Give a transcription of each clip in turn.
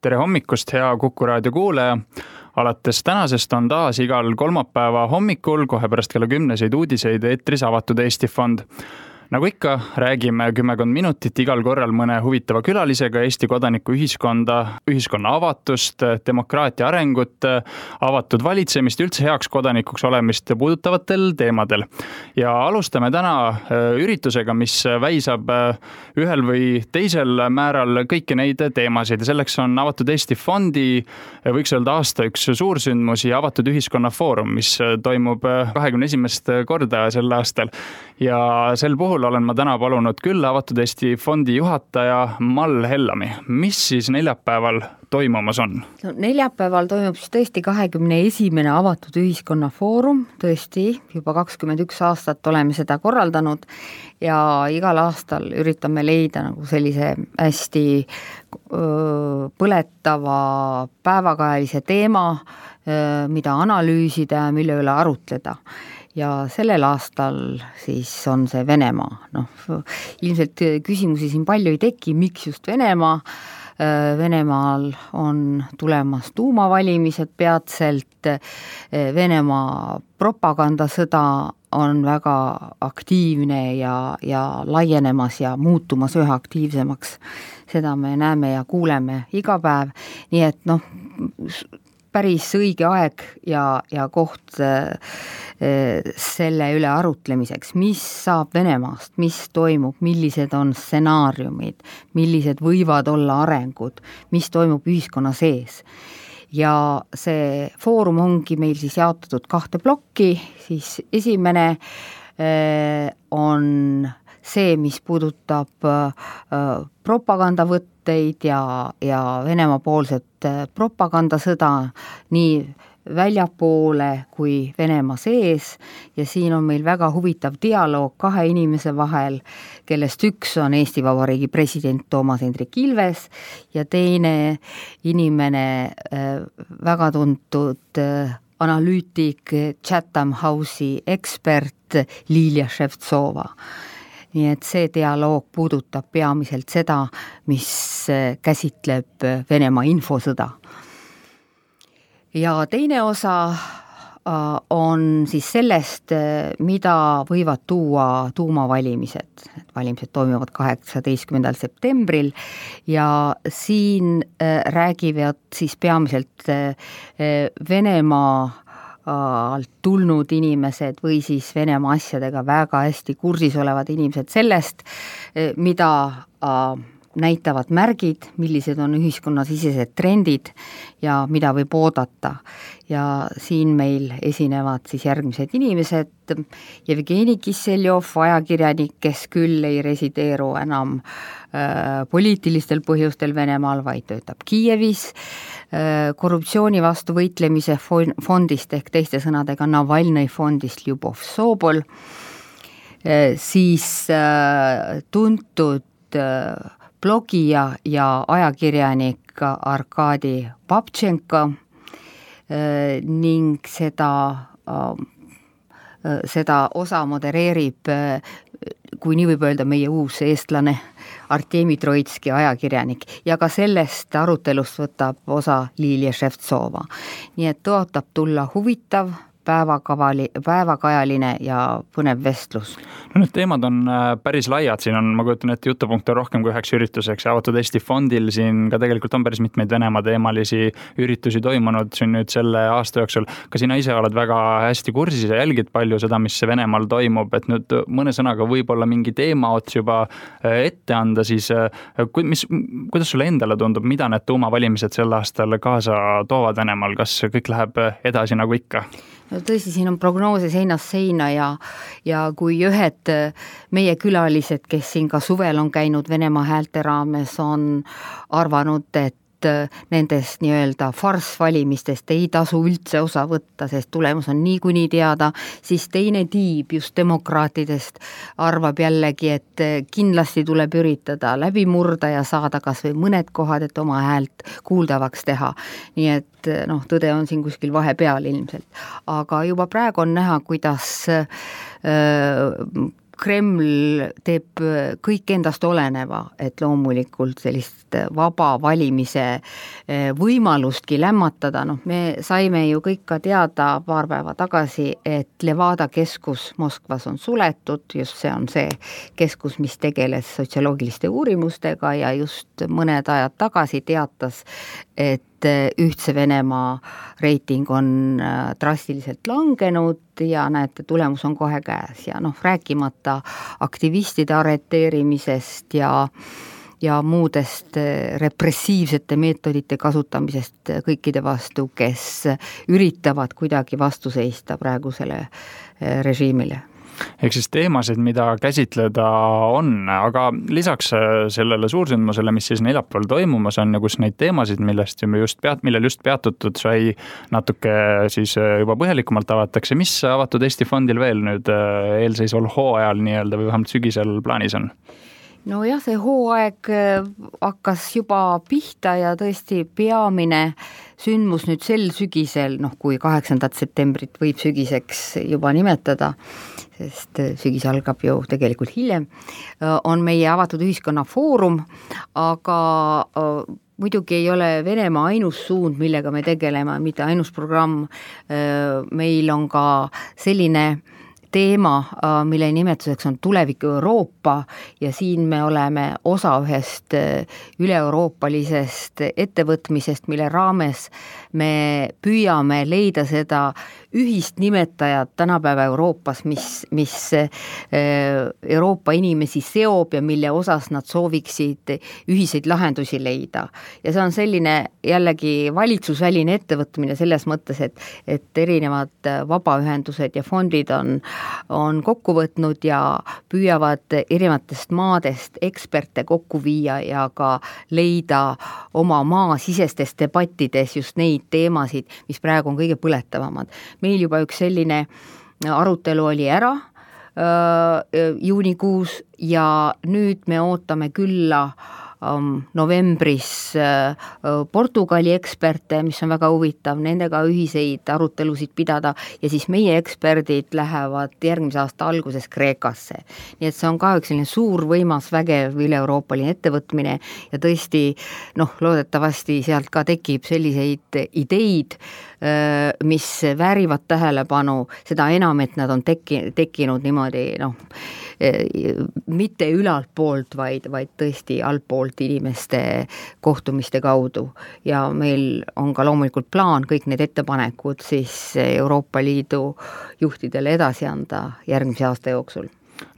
Tere hommikust, hea Kuku raadio kuulaja! Alates tänasest on taas igal kolmapäeva hommikul kohe pärast kella 10 uudiseid eetris avatud Eesti Fond. Nagu ikka, räägime 10 minutit igal korral mõne huvitava külalisega Eesti kodanikuühiskonda, ühiskonna avatust, demokraatia arengut, avatud valitsemist, üldse heaks kodanikuks olemist puudutavatel teemadel. Ja alustame täna üritusega, mis väisab ühel või teisel määral kõiki neid teemasid. Ja selleks on avatud Eesti Fondi, võiks öelda aasta üks suursündmusi, avatud ühiskonna foorum, mis toimub 21. korda sel aastal. Ja sel puhul olen ma täna palunud küll avatud Eesti Fondi juhataja Mall Hellami. Mis siis neljapäeval toimumas on? No, neljapäeval toimub siis tõesti 21. avatud ühiskonna foorum, tõesti juba 21 aastat oleme seda korraldanud ja igal aastal üritame leida nagu sellise hästi põletava päevakajalise teema, mida analüüsida ja mille üle arutleda. Ja sellel aastal siis on see Venemaa. Ilmselt küsimusi siin palju ei teki, miks just Venemaa. Venemaal on tulemas tuumavalimised peatselt, Venemaa propagandasõda on väga aktiivne ja laienemas ja muutumas üha aktiivsemaks. Seda me näeme ja kuuleme iga päev, nii et päris õige aeg ja koht selle üle arutlemiseks, mis saab Venemaast, mis toimub, millised on stsenaariumid, millised võivad olla arengud, mis toimub ühiskonna sees. Ja see foorum ongi meil siis jaotatud 2 plokki, siis esimene on see, mis puudutab propagandavõtteid ja Venemaa poolset propagandasõda nii väljapoole kui Venemaa sees ja siin on meil väga huvitav dialoog 2 inimese vahel, kellest üks on Eesti Vabariigi president Toomas Hendrik Ilves ja teine inimene väga tuntud analüütik, Chatham House'i ekspert Lilia Ševtsova. Nii et see dialoog puudutab peamiselt seda, mis käsitleb Venemaa infosõda. Ja teine osa on siis sellest, mida võivad tuua tuumavalimised. Valimised toimuvad 18. septembril ja siin räägivad siis peamiselt Venemaa alt tulnud inimesed või siis Venemaa asjadega väga hästi kursis olevad inimesed sellest, mida näitavad märgid, millised on ühiskonnasisesed trendid ja mida võib oodata. Ja siin meil esinevad siis järgmised inimesed, Jevgeni Kisseljov, ajakirjanik, kes küll ei resideeru enam poliitilistel põhjustel Venemaal, vaid töötab Kiievis, korruptsiooni vastu võitlemise fondist ehk teiste sõnadega Navalnõi fondist Ljubov Sobol, siis tuntud blogija ja ajakirjanik Arkadi Babchenko ning seda osa modereerib, kui nii võib öelda, meie uus eestlane Artemi Troitski ajakirjanik ja ka sellest arutelust võtab osa Lilia Ševtsova. Nii et tõotab tulla huvitav, päevakajaline ja põnev vestlus. No need teemad on päris laiad, siin on, ma kujutan, et jutupunkte on rohkem kui 1 ürituseks. Avatud Eesti Fondil siin ka tegelikult on päris mitmeid Venemaa teemalisi üritusi toimunud siin nüüd selle aasta jooksul. Ka sina ise oled väga hästi kursis ja jälgid palju seda, mis Venemaal toimub, et nüüd mõne sõnaga võib-olla mingi teema ots juba ette anda, siis kuidas sulle endale tundub, mida need tuumavalimised sel aastal kaasa toovad Venemaal, kas kõik läheb edasi nagu ikka? No tõesti, siin on prognoose seinast seina ja kui ühed meie külalised, kes siin ka suvel on käinud Venemaa häälte raames, on arvanud, et nendest nii-öelda farsvalimistest ei tasu üldse osa võtta, sest tulemus on niikuinii teada, siis teine tiib just demokraatidest arvab jällegi, et kindlasti tuleb üritada läbi murda ja saada kas või mõned kohad, et oma häält kuuldavaks teha. Nii et tõde on siin kuskil vahepeal ilmselt. Aga juba praegu on näha, kuidas Kreml teeb kõik endast oleneva, et loomulikult sellist vaba valimise võimalustki lämmatada, me saime ju kõik ka teada paar päeva tagasi, et Levada keskus Moskvas on suletud, just see on see keskus, mis tegeles sotsioloogiliste uurimustega ja just mõned ajad tagasi teatas, et Ühtse Venemaa reiting on drastiliselt langenud ja näete, tulemus on kohe käes ja rääkimata aktivistide arreteerimisest ja muudest repressiivsete meetodite kasutamisest kõikide vastu, kes üritavad kuidagi vastu seista praegusele režiimile. Ehk siis teemasid, mida käsitleda on, aga lisaks sellele suursündmusele, mis siis neljapäeval toimumas on ja kus neid teemasid, millel just peatutud sai, natuke siis juba põhjalikumalt avatakse, mis Avatud Eesti Fondil veel nüüd eelseisval hooajal nii-öelda või vähemalt sügisel plaanis on? No jah, see hooaeg hakkas juba pihta ja tõesti peamine sündmus nüüd sel sügisel, kui 8. septembrit võib sügiseks juba nimetada, sest sügis algab ju tegelikult hiljem, on meie Avatud Ühiskonna Foorum, aga muidugi ei ole Venemaa ainus suund, millega me tegeleme, mitte ainus programm, meil on ka selline teema, mille nimetuseks on Tuleviku Euroopa ja siin me oleme osa ühest üle-euroopalisest ettevõtmisest, mille raames me püüame leida seda ühist nimetajat tänapäeva Euroopas, mis Euroopa inimesi seob ja mille osas nad sooviksid ühiseid lahendusi leida. Ja see on selline jällegi valitsusväline ettevõtmine selles mõttes, et erinevad vabaühendused ja fondid on kokku võtnud ja püüavad erinevatest maadest eksperte kokku viia ja ka leida oma maasisestes debattides just neid teemasid, mis praegu on kõige põletavamad. Meil juba üks selline arutelu oli ära juunikuus ja nüüd me ootame külla novembris Portugali eksperte, mis on väga huvitav, nendega ühiseid arutelusid pidada ja siis meie eksperdid lähevad järgmise aasta alguses Kreekasse. Nii et see on ka üks selline suur võimas vägev üle-euroopaline ettevõtmine ja tõesti loodetavasti sealt ka tekib selliseid ideid, mis väärivad tähelepanu, seda enam, et nad on tekkinud niimoodi mitte ülalt poolt, vaid tõesti altpoolt inimeste kohtumiste kaudu ja meil on ka loomulikult plaan kõik need ettepanekud siis Euroopa Liidu juhtidele edasi anda järgmise aasta jooksul.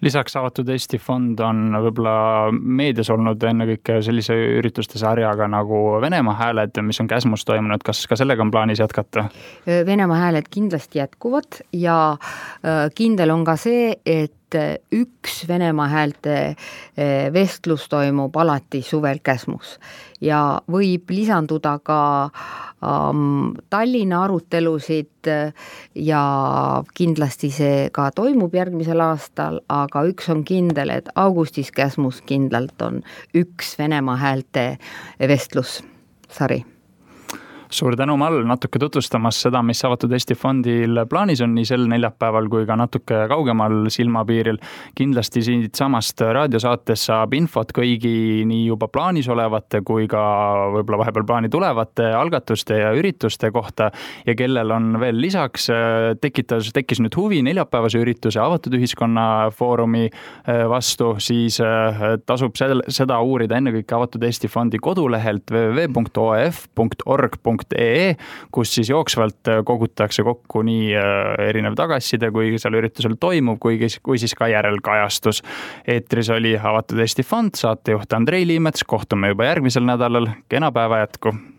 Lisaks Avatud Eesti Fond on võib-olla meedias olnud ennekõike sellise ürituste sarjaga nagu Venemaa hääled, mis on Käsmus toimunud, kas ka sellega on plaanis jätkata? Venemaa hääled kindlasti jätkuvad ja kindel on ka see, et üks Venemaa häälte vestlus toimub alati suvel Käsmus ja võib lisanduda ka Tallinna arutelusid ja kindlasti see ka toimub järgmisel aastal, aga üks on kindel, et augustis Käsmus kindlalt on üks Venemaa häälte vestlussari. Suur tänu, Mall, natuke tutvustamas seda, mis Avatud Eesti Fondil plaanis on nii sel neljapäeval kui ka natuke kaugemal silmapiiril. Kindlasti siit samast raadiosaates saab infot kõigi nii juba plaanis olevate kui ka võib-olla vahepeal plaani tulevate algatuste ja ürituste kohta ja kellel on veel lisaks tekkis nüüd huvi neljapäevase ürituse Avatud Ühiskonna Foorumi vastu, siis tasub seda uurida ennekõike Avatud Eesti Fondi kodulehelt www.oef.org.ee, kus siis jooksvalt kogutakse kokku nii erinev tagasiside, kui seal üritusel toimub, kui siis ka järelkajastus. Eetris oli Avatud Eesti Fond, saatejuht Andrei Liimets, kohtume juba järgmisel nädalal, kena päeva jätku!